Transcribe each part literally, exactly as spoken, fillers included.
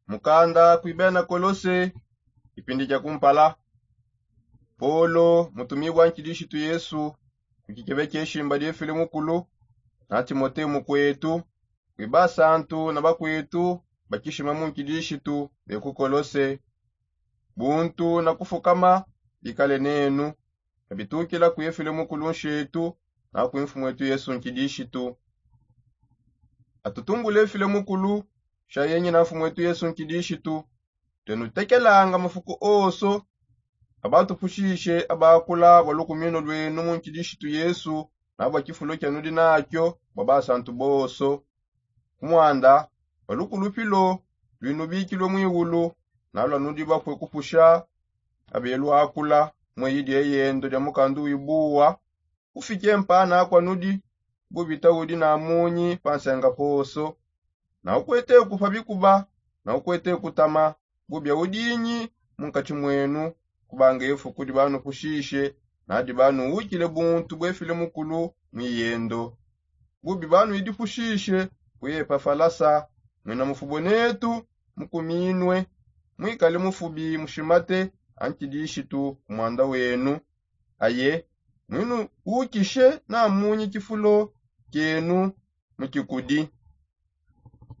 Mukanda kui bena Kolose. Ipindi dia kumpala. Polo, mutumibua nkidishitu Yesu, ku kikebe kieshimba diefile mukulu, na Timote mukuetu, kui basantu na bakuetu bakishima mu nkidishitu be ku Kolose. Buntu na kufukama bikale nenu, kabitukila kuefile mukulu nshetu, na kui mfumuetu Yesu nkidishitu. Atutumbule efile mukulu, sha yenyi na mfumuetu Yesu nkidishitu. Tuenutekelanga mafuku oso, abatupushishe abakula bua lukumino luenu mu nkidishitu Yesu, na bua kifulo kianudi nakio bua basantu boso. Kumwanda, bua lukulupilo luinubikilue muiulu, na luanudi bapue kupusha abeluakula mueyi dieyendo dia mukandu wibuwa, ufike mpana kuanudi, bubita udi na munyi pa nsenga poso. Na ukuete kupa bikuba, na ukuete kutama, bubia udinyi munkatshi muenu, kubanga efuku dibanupushishe, na dibanuwukile buntu buefile mukulu muiyendo. Bubi banuidipushishe ku Epafalasa, muina mufubo netu, mukuminue, muikale mufubi mushimate ankidishitu kumwanda wenu. Aye, muinuwukishe na munyi kifulo kienu mukikudi.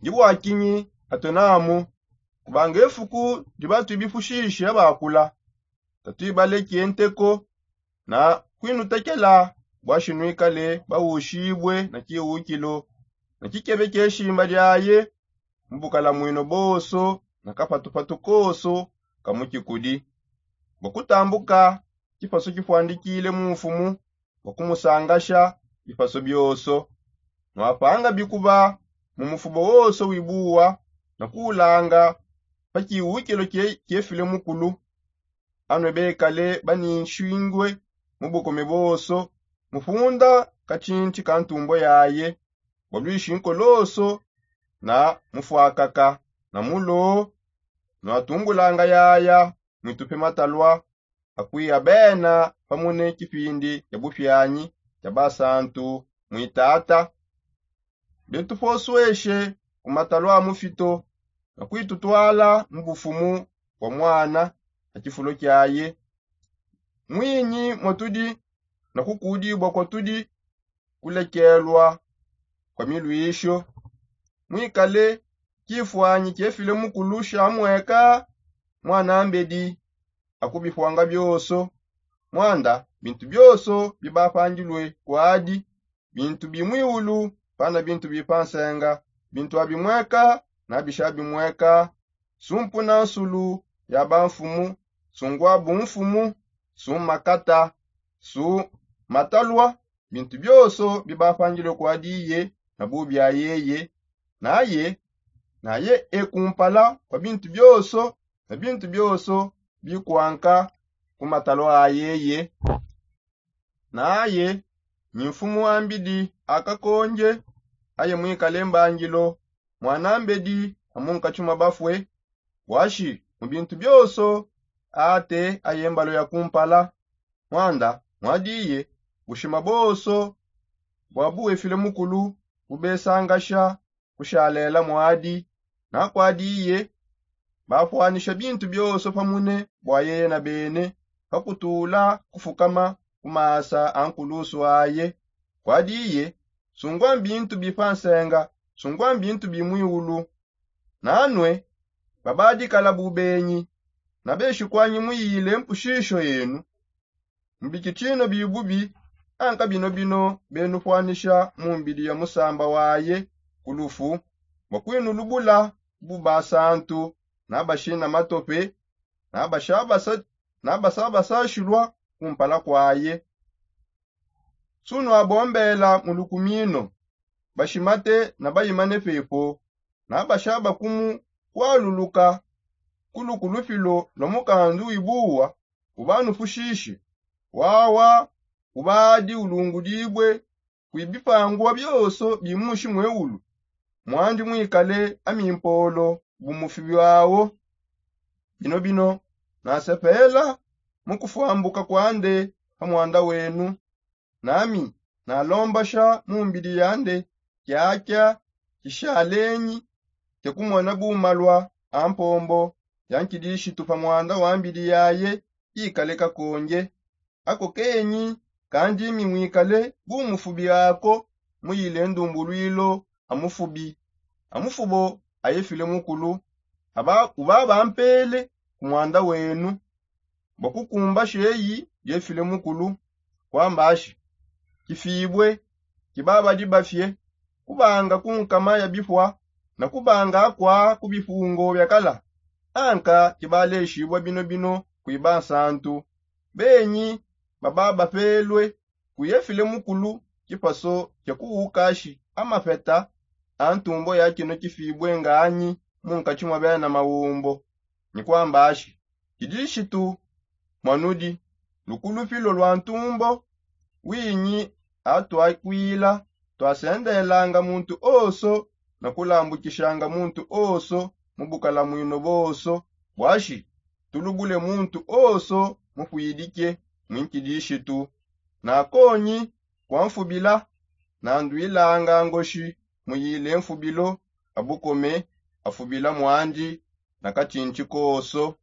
Ndi bua kinyi atuenamu? Kubanga efuku diba tuibipushishe abakula, tatuibaleke nteko na kuinutekela, bua shinuikale bawushibue na kiwukilo, na kikebe kieshimba diaye, mu bukalamuino boso, na kapatupatu koso ka mukikudi, bua kutambuka kipasu kipuandikile mu mfumu, bua kumusangasha bipasu bioso. Nuapanga bikuba mu mufubo wonso wibuwa, na kuulanga pa kiwukilo kie-, kiefile mukulu. Anue bekale baninshingwe mu bukome boso, mupunda katshintshi ka ntumbo yaye, bua luishi nkoloso, na mufuakaka, na mulo, nuatumbulanga yaya, muitupe matalua, akuiya bena pamune kipindi kia bupianyi kia basantu muitata. Betuposueshe ku matalua a mufito, na kuitutwala mu bufumu bua muana a kifulo kiaye. Muinyi muatudi, na kukudibua kuatudi, kulekelua kua miluisho. Muikale kifuanyi kiefile mukulu sha mueka muana mbedi, akubipuanga bioso. Muanda, bintu bioso bibapandilue kuadi, bintu bi muiulu, pana bintu bi pa nsenga, bintu abi mueka, na bisha abi mueka, sumpu na nsulu ya bamfumu, sungua bumfumu, su makata, su matalua, bintu bioso bibapandilue kuadi iye, na bubi ayeye, naye, naye e kumpala kua bintu bioso, na bintu bioso bikuanka ku matalua ayeye. Naye, nyi mfumu a mbidi a kakonje, aye muikale mbangilo, muana mbedi a munkatshi mua bafue, buashi mu bintu bioso, ate aye mbalo ya kumpala. Muanda, muadiye, bushima boso bua buefile mukulu, bubesangasha kushalela muadi, na kuadiye, bapuanisha bintu bioso pamune bua yeye na bene, pa kutula kufukama ku masa a nkulusu aye. Kuadiye, sungua mbintu bi pa nsenga, sungua mbintu bi muiulu. Nanue, babadikala bubenyi, na beshikuanyi muyile mpushisho yenu. Mbikitshino bibubi, anka binobino benupuanisha mu mbidi ya musamba waye ku lufu, bua kuinulubula bu basantu, na bashina matope, na bashabasa, na bashabasashilua kumpala kwaye. Sunuabombela mu lukumino, bashimate na bayimane pepo, na bashabakumu kualuluka ku lukulupilo lua mukandu wibuwa, ubanupushishe, wawa ubadi ulungudibue kui bipangua bioso bi mushi mueulu, muandi muikale a mimpolo bu mufi biawo. Binobino, nasepela mu kufuambuka kuande pa muanda wenu, nami nalombasha mu mbidi yande kiakia kishalenyi kia kumona bumalua ampombo ya nkidishitu pa mwanda wa mbidi yaye ikale kakonge. Ako kenyi kandi mimwikale bu mufubi ako muyile ndumbulwilo amufubi amufubo ayefile mukulu. Uba bampele ku mwanda wenu bua kukumba sheyi yefile mukulu. Kwamba ashi kifibue kibabadi bafie kubanga ku nkama ya bipua na kubanga akua ku bipungo bia kala. Anka kibaleshibua bino bino kuiba nsantu benyi baba bapelue kuyefile mukulu kipaso kia kuwukashi amapeta a ntumbo ya kino kifibue nganyi mu nkatshi mua bena mawumbo. Ni kwamba ashi kidishitu mwanudi lukulupilo lua ntumbo winyi atuakwila tuasendelanga muntu oso na kulambukishanga muntu oso mu bukalamwino boso buashi tulubule muntu oso mupuidike mwinkidishitu. Nakonyi kuamfubila nanduilanga ngoshi muyile mfubilo abukome afubila mwandi na katshintshi koso.